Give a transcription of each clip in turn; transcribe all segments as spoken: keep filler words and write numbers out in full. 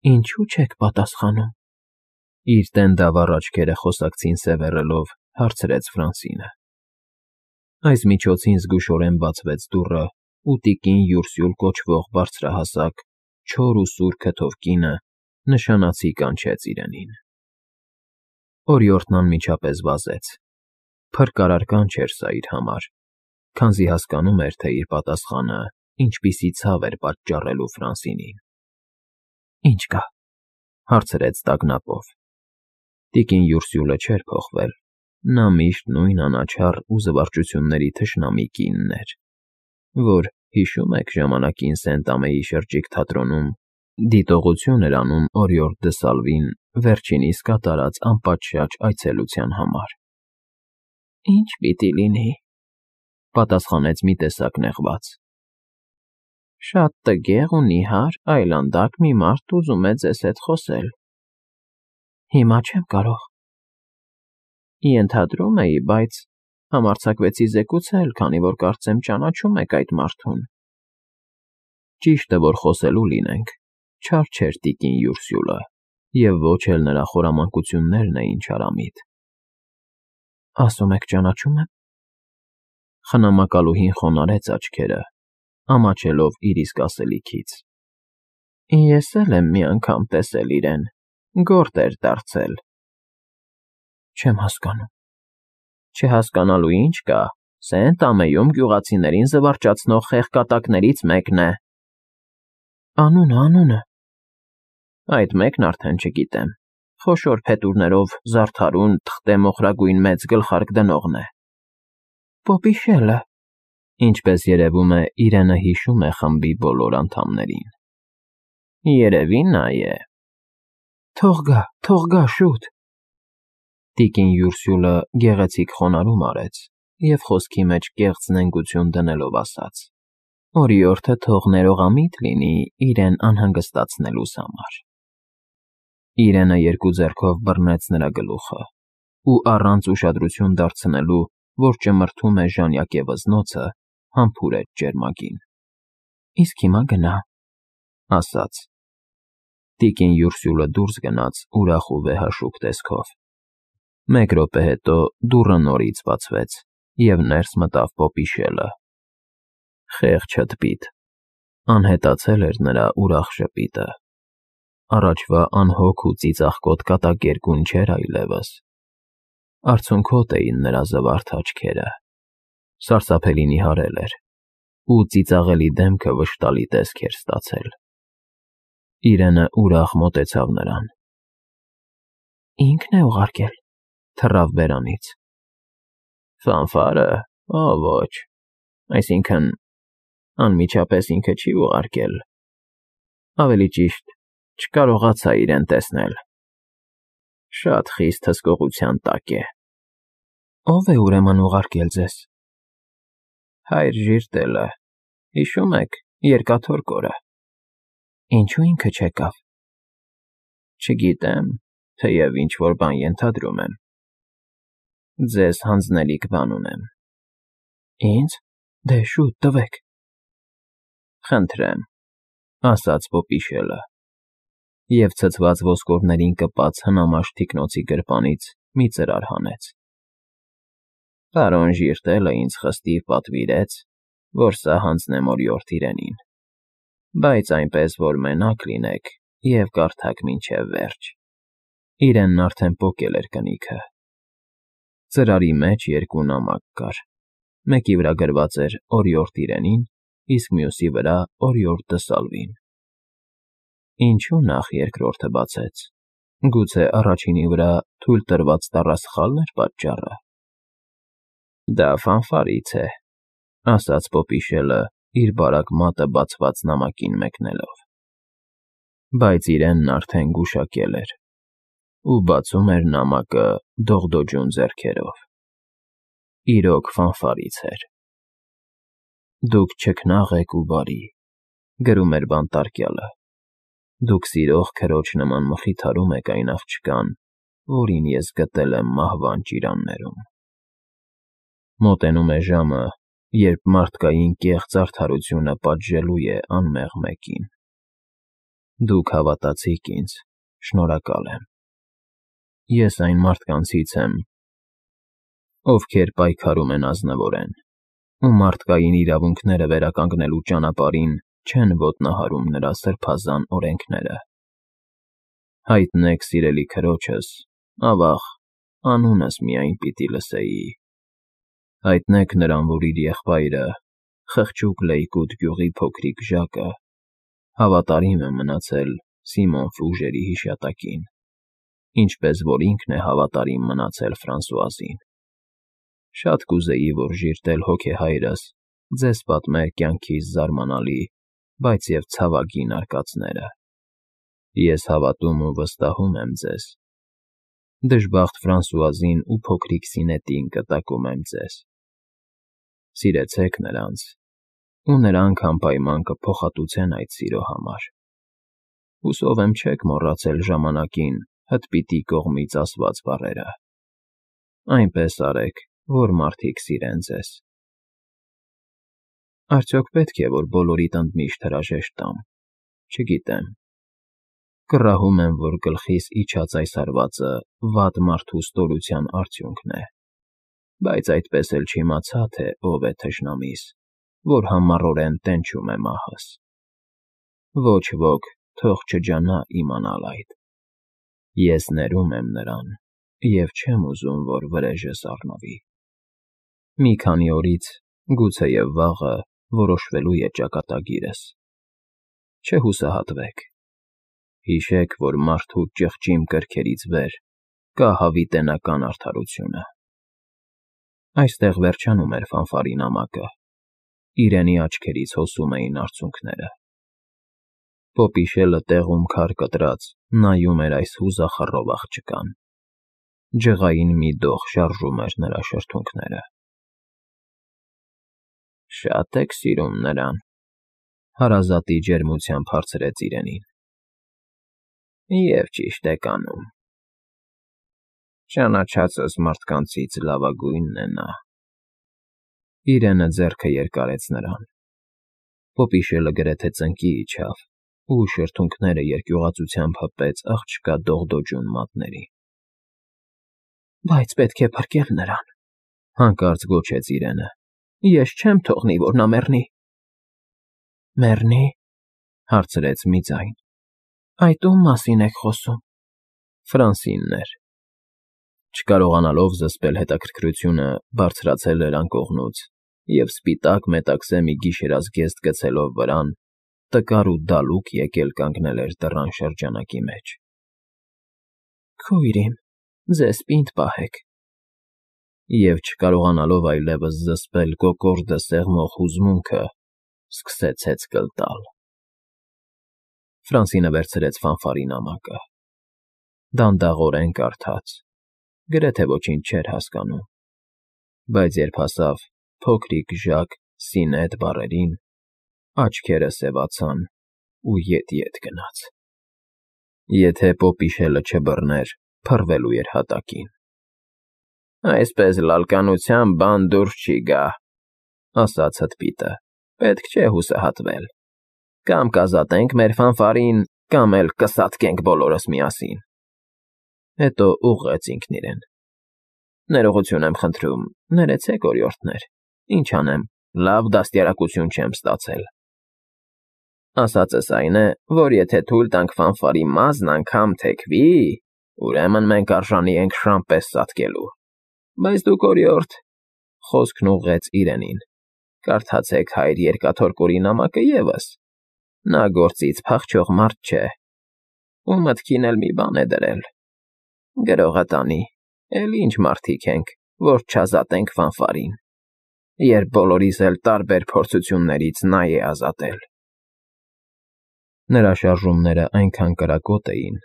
Ինչո՞ւ չեք պատասխանում,֊ իր տենդավառ աչքերը խոսակցին սևեռելով, հարցրեց Ֆրանսինը։ Այս միջոցին զգուշորեն բացվեց դուռը, ու տիկին Յուրսյուլ կոչվող բարձրահասակ, չոր ու սուր քթով կինը նշանացի կանչեց իրենին։ Օրիորդն անմիջապես վազեց. փրկարար կանչ էր սա իր համար, քանզի հասկանում էր, թե իր պատասխանը ինչպիսի ցավ էր պատճառելու Ֆրանսինին։ ֊ Ի՞նչ կա,֊ հարցրեց տագնապով։ Տիկին Յուրսյուլը չէր փոխվել, նա միշտ նույն անաչառ ու զվարճությունների թշնամի կինն էր, որ, հիշո՞ւմ եք, ժամանակին Սենտ-Ամեի շրջիկ թատրոնում դիտողություն էր անում օրիորդ դը Սալվին վերջինիս կատարած անպատշաճ այցելության համար։ ֊ Ի՞նչ պիտի լինի,֊ պատասխանեց մի տեսակ նեղված։ ֊ Շատ տգեղ ու նիհար, այլանդակ մի մարդ ուզում է ձեզ հետ խոսել։ ֊ Հիմա չեմ կարող։ ֊ Ենթադրում էի, բայց համարձակվեցի զեկուցել, քանի որ կարծեմ ճանաչում եք այդ մարդուն։ Ճիշտը որ խոսելու լինենք, չար չէր տիկին Յուրսյուլը, և ոչ էլ նրա խորամանկություններն էին չարամիտ։ ֊ Ասում եք ճանաչում եմ… Խնամակալուհին խոնարհեց աչքերը, ամաչելով իր իսկ ասելիքից։ ֊ Ես էլ եմ մի անգամ տեսել իրեն, գորտ էր դարձել։ ֊ Չեմ հասկանում։ ֊ Չհասկանալու ինչ կա, Սենտ֊Ամեյում գյուղացիներին զվարճացնող խեղկատակներից մեկն է։ ֊ Անունը, անունը… Այդ մեկն արդեն չգիտեմ, խոշոր փետուրներով զարդարուն, թղթե մոխրագույն մեծ գլխարկ դնողն է։ ֊ Պոպիշելը… Ինչպես երևում է, իրենը հիշում է խմբի բոլոր անդամներին։ ֊ Երևի նա է։ ֊ Թող գա, թող գա, շուտ… Տիկին Յուրսյուլը գեղեցիկ խոնարհում արեց և խոսքի մեջ կեղծ նենգություն դնելով ասաց. «Օրիորդը թող ներողամիտ լինի իրեն անհանգստացնելուս համար»։ Իրենը երկու ձեռքով բռնեց նրա գլուխը ու առանց ուշադրություն դարձնելու, որ ճմրթում է ժանյակե վզնոցը, համբուրեց ջերմագին։ ֊ Իսկ հիմա գնա,֊ ասաց։ Տիկին Յուրսյուլը դուրս գնաց ուրախ ու վեհաշուկ տեսքով։ Մեկ րոպե հետո դուռը նորից բացվեց, և ներս մտավ պոպիշելը։ Խեղճ հտպիտ… Անհետացել էր նրա ուրախ ժպիտը։ Առաջվա անհոգ ու ծիծաղկոտ կատակերգուն չէր այլևս։ Արցունքոտ էին նրա զվարթ աչքերը, սարսափելի նիհարել էր, ու ծիծաղելի դեմքը վշտալի տեսք էր ստացել։ Իրենը ուրախ մոտեցավ նրան։ ֊ Ինքն է ուղարկել,֊ թռավ բերանից։ ֊ Ֆանֆա՞ռը… Օ ոչ… Այսինքն… անմիջապես ինքը չի ուղարկել… Ավելի ճիշտ, չկարողացա իրեն տեսնել… Շատ խիստ հսկողության տակ է։ ֊ Ո՞վ է ուրեմն ուղարկել ձեզ։ ֊ Հայր Ժիրտելը… Հիշո՞ւմ եք, Երկաթոր կորը։ ֊ Ինչո՞ւ ինքը չեկավ։ ֊ Չգիտեմ, թեև ինչ֊որ բան ենթադրում եմ։ ֊ Ձեզ հանձնելիք բան ունեմ։ ֊ Ինձ… Դե, շուտ տվեք… ֊ Խնդրեմ,֊ ասաց պոպիշելը, և ցցված ոսկորներին կպած հնամաշ թիկնոցի գրպանից մի ծրար հանեց։ Պարոն Ժիրտելը ինձ խստիվ պատվիրեց, որ սա հանձնեմ օրիորդ իրենին, բայց այնպես, որ մենակ լինեք և կարդաք մինչև վերջ. իրենն արդեն պոկել էր կնիքը։ Ծրարի մեջ երկու նամակ կար, մեկի վրա գրված էր «Օրիորդ իրենին», իսկ մյուսի վրա «Օրիորդ դը Սալվին»։ Ինչո՞ւ նախ երկրորդը բացեց։ Գուցե առաջինի վրա թույլ տրված տառասխալ՞ն էր պատճառը։ ֊ Դա ֆանֆարից է,֊ ասաց պոպիշելը, իր բարակ մատը բացված նամակին մեկնելով։ Բայց իրենն արդեն գուշակել էր ու բացում էր նամակը դողդոջուն ձեռքերով։ Իրոք ֆանֆարից էր։ «Դուք չքնաղ եք ու բարի,֊ գրում էր բանտարկյալը,֊ դուք սիրող քրոջ նման մխիթարում եք այն աղջկան, որին ես գտել եմ մահվան ճիրաններում։ Մոտենում է ժամը, երբ մարդկային կեղծ արդարությունը պատժելու է անմեղ մեկին։ Դուք հավատացիք ինձ, շնորհակալ եմ։ Ես այն մարդկանցից եմ, ովքեր պայքարում են ազնվորեն, ու մարդկային իրավունքները վերականգնելու ճանապարհին չեն ոտնահարում նրա սրբազան օրենքները։ Հայտնեք սիրելի քրոջս, ավաղ, անունս միայն պիտի լսեի։ Հայտնեք նրան, որ իր եղբայրը, խղճուկ Լեյկոտ գյուղի փոքրիկ Ժակը, հավատարիմ է մնացել Սիմոն Ֆուժերի հիշատակին, ինչպես որ ինքն է հավատարիմ մնացել Ֆրանսուազին։ Շատ կուզեի, որ ժիրտել հոգեհայրս ձեզ պատմեր կյանքիս զարմանալի, բայց և ցավագին արկածները։ Ես հավատում ու վստահում եմ ձեզ։ Դժբախտ Ֆրանսուազին ու փոքրիկ Սինետին կտակում եմ ձեզ։ Սիրեցեք նրանց, ու նրանք անպայման կփոխհատուցեն այդ սիրո համար։ Հուսով եմ չեք մոռացել ժամանակին հդպիտի կողմից ասված բառերը։ Այնպես արեք, որ մարդիկ սիրեն ձեզ։ Արդյոք պետք է, որ բոլորիդ ընդմիշտ հրաժեշտ տամ, չգիտեմ։ Կռահում եմ, որ գլխիս իջած այս հարվածը վատ մարդու ստորության արդյունքն է, բայց այդպես էլ չիմացա, թե ով է թշնամիս, որ համառորեն տենչում է մահս։ Ոչ ոք թող չջանա իմանալ այդ։ Ես ներում եմ նրան և չեմ ուզում, որ վրեժս առնվի։ Մի քանի օրից, գուցեև վաղը, որոշվելու է ճակատագիրս։ Չհուսահատվեք։ Հիշեք, որ մարդու ճղճիմ կրքերից վեր կա հավիտենական արդարությունը։ Այստեղ վերջանում էր ֆանֆարի նամակը, իրենի աչքերից հոսում էին արցունքները։ Պոպիշելը տեղում քար կտրած նայում էր այս հուզախռով աղջկան։ Ջղային մի դող շարժում էր նրա շրթունքները։ Շատ եք սիրում նրան, հարազատի ջերմությամբ հարցրեց իրենին։ Եվ ճիշտ եք անում։ Ճանաչածս մարդկանցից լավագույնն է նա։ Իրենը ձեռքը երկարեց նրան։ Պոպիշելը գրեթե ծնկի իջավ, ու շրթունքները երկյուղածությամբ հպեց աղջկա դողդոջուն մատներին։ Բայց պետք է փրկել նրան, հանկարծ գոչեց իրենը։ Ես չեմ թողնի, որ նա մեռնի։ Մեռնի, հարցրեց մի ձայն։ Այդ ում մասին եք խոսում։ Ֆրանսինն էր։ Չկարողանալով զսպել հետաքրքրությունը, բարձրացել էր անկողնուց և սպիտակ մետաքսե մի գիշերազգեստ գցելով վրան, տկար ու դալուկ եկել կանգնել էր դռան շրջանակի մեջ։ Քույր իմ, ձեզ պինդ պահեք։ Եվ չկարողանալով այլևս զսպել կոկորդը սեղմող հուզմունքը, սկսեց հեծկլ տալ։ Ֆրանսինը վերցրեց ֆանֆարի նամակը։ Դանդաղորեն կարդաց, գրեթե ոչինչ չէր հասկանում, բայց երբ հասավ փոքրիկ Ժակ Սինետ բառերին, աչքերը սևացան ու ետ-ետ գնաց։ Եթե Պոպիշելը չբռներ, փռվելու էր հատակին։ Այսպես լալկանությամբ բան դուրս չի գա, ասաց հդպիտը, պետք չէ հուսահատվել։ Կամ կազատենք մեր ֆանֆարին, կամ էլ կսատկենք բոլորս միասին։ Հետո ուղղեց ինքն իրեն։ Ներողություն եմ խնդրում, ներեցեք օրիորդներ, ինչ անեմ, լավ դաստիարակություն չեմ ստացել։ Ասածս այն է, որ եթե թույլ տանք ֆանֆարի մազն անգամ թեքվի, ուրեմն մենք արժանի ենք շան պես սատկելու։ Բայց դուք օրիորդ, խոսքն ուղղեց իրենին, կարդացեք հայր Երկաթորկորի նամակը ևս։ Նա գործից փախչող մարդ չէ, ու մտքին էլ մի բան է դրել։ Գրողը տանի, էլ ինչ մարդիկ ենք, որ չազատենք ֆանֆարին, երբ բոլորիս էլ տարբեր փորձություններից նա է ազատել։ Նրա շարժումները այնքան կրակոտ էին,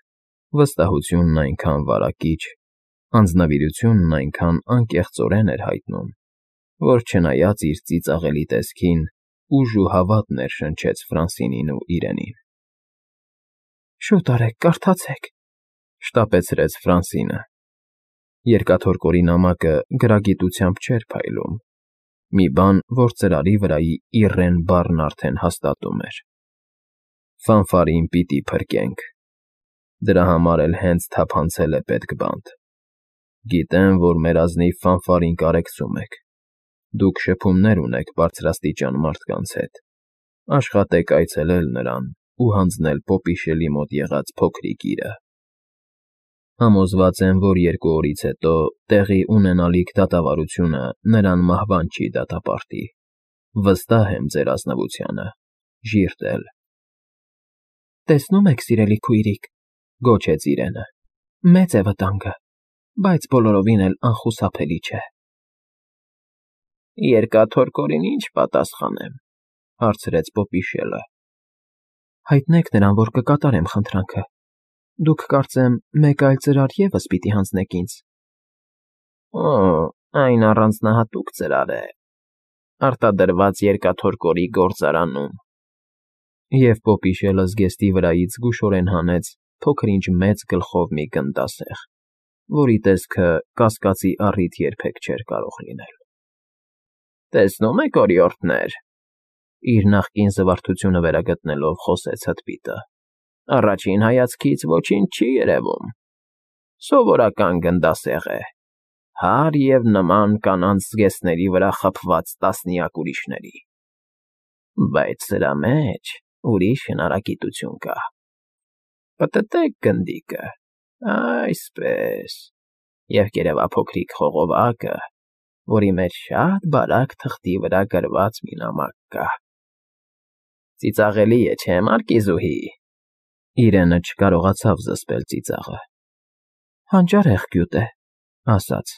վստահությունն այնքան վարակիչ, անձնվիրությունն այնքան անկեղծորեն էր հայտնում, որ չնայած իր ծիծաղելի տեսքին, ուժ ու հավատ ներշնչեց Ֆրանսինին ու իրենին։ Շուտ արեք, կարդացեք, շտապեցրեց Ֆրանսինը։ Երկաթորկորի նամակը գրագիտությամբ չէր փայլում, մի բան, որ ծրարի վրայի իռեն բառն արդեն հաստատում էր։ Ֆանֆարին պիտի փրկենք, դրա համար էլ հենց թափանցել է պետք բանտ։ Գիտեմ, որ մեր ազնիվ ֆանֆարին կարեկցում եք, դուք շփումներ ունեք բարձրաստիճան մարդկանց հետ, աշխատեք այցելել նրան ու հանձնել պոպիշելի մոտ եղած փոքրիկ իրը։ Համոզված եմ, որ երկու օրից հետո տեղի ունենալիք դատավարությունը նրան մահվան չի դատապարտի, վստահ եմ ձեր ազնվությանը, ժիրտել։ Տեսնում եք, սիրելի քույրիկ, Գոչեց իրենը, մեծ է վտանգը, բայց բոլորովին էլ անխուսափելի չէ։ Երկաթորկորին ինչ պատասխանեմ, հարցրեց պոպիշելը։ Հայտնեք նրան, որ կկատարեմ խնդրանքը։ Դուք կարծեմ մեկ այլ ծրար ևս պիտի հանձնեք ինձ։ Օ, այն առանձնահատուկ ծրար է, արտադրված երկաթորկորի գործարանում։ Եվ պոպիշելը զգեստի վրայից զգուշորեն հանեց փոքր-ինչ մեծ գլխով մի գնդասեղ, որի տեսքը կասկածի առիթ երբեք չէր կարող լինել։ Տեսնում եք, օրիորդներ, իր նախկին զվարթությունը վերագտնելով խոսեց հտպիտը, առաջին հայացքից ոչինչ չի երևում, սովորական գնդասեղ է, հարր և նման կանանց զգեստների վրա խփված տասնյակ ուրիշների, բայց սրա մեջ ուրիշ հնարագիտություն կա։ Պտտեք գնդիկը, այսպես, և կերևափոքրիկ խողովակը, որի մեջ շատ բարակ թղթի վրա գրված մի նամակ կա։ Ծիծաղելի է, չէ՞, Մարկիզուհի։ Իրենը չկարողացավ զսպել ծիծաղը։ Հանճարեղ գյուտ է, ասաց.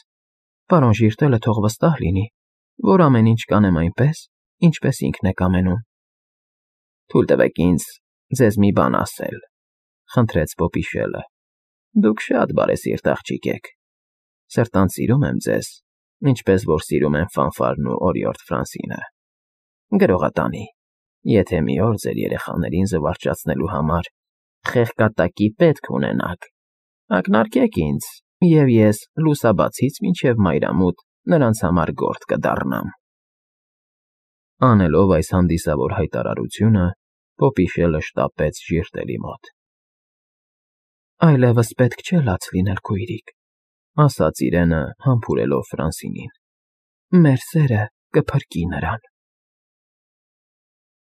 Պարոն Ժիրտելը թող վստահ լինի, որ ամեն ինչ կանեմ այնպես, ինչպես ինքն է կամենում։ Թույլ տվեք ինձ ձեզ մի բան ասել, խնդրեց պոպիշելը։ Դուք շատ բարեսիրտ աղջիկ եք։ Սրտանց սիրում եմ ձեզ, ինչպես որ սիրում են Ֆանֆարն ու օրիորդ Ֆրանսինը։ Գրողատանի, եթե մի օր ձեր երեխաներին զվարճացնելու համար խեղկատակի պետք ունենաք, ակնարկեք ինձ, և ես լուսաբացից մինչև մայրամուտ նրանց համար գործ կդառնամ։ Անելով այս հանդիսավոր հայտարարությունը, պոպիշելը շտապեց Ժիրտելի մոտ։ Այլևս պետք չէ լաց լինել, քույրիկ, ասաց իրենը համբուրելով Ֆրանսինին։ Մեր սերը կփրկի նրան։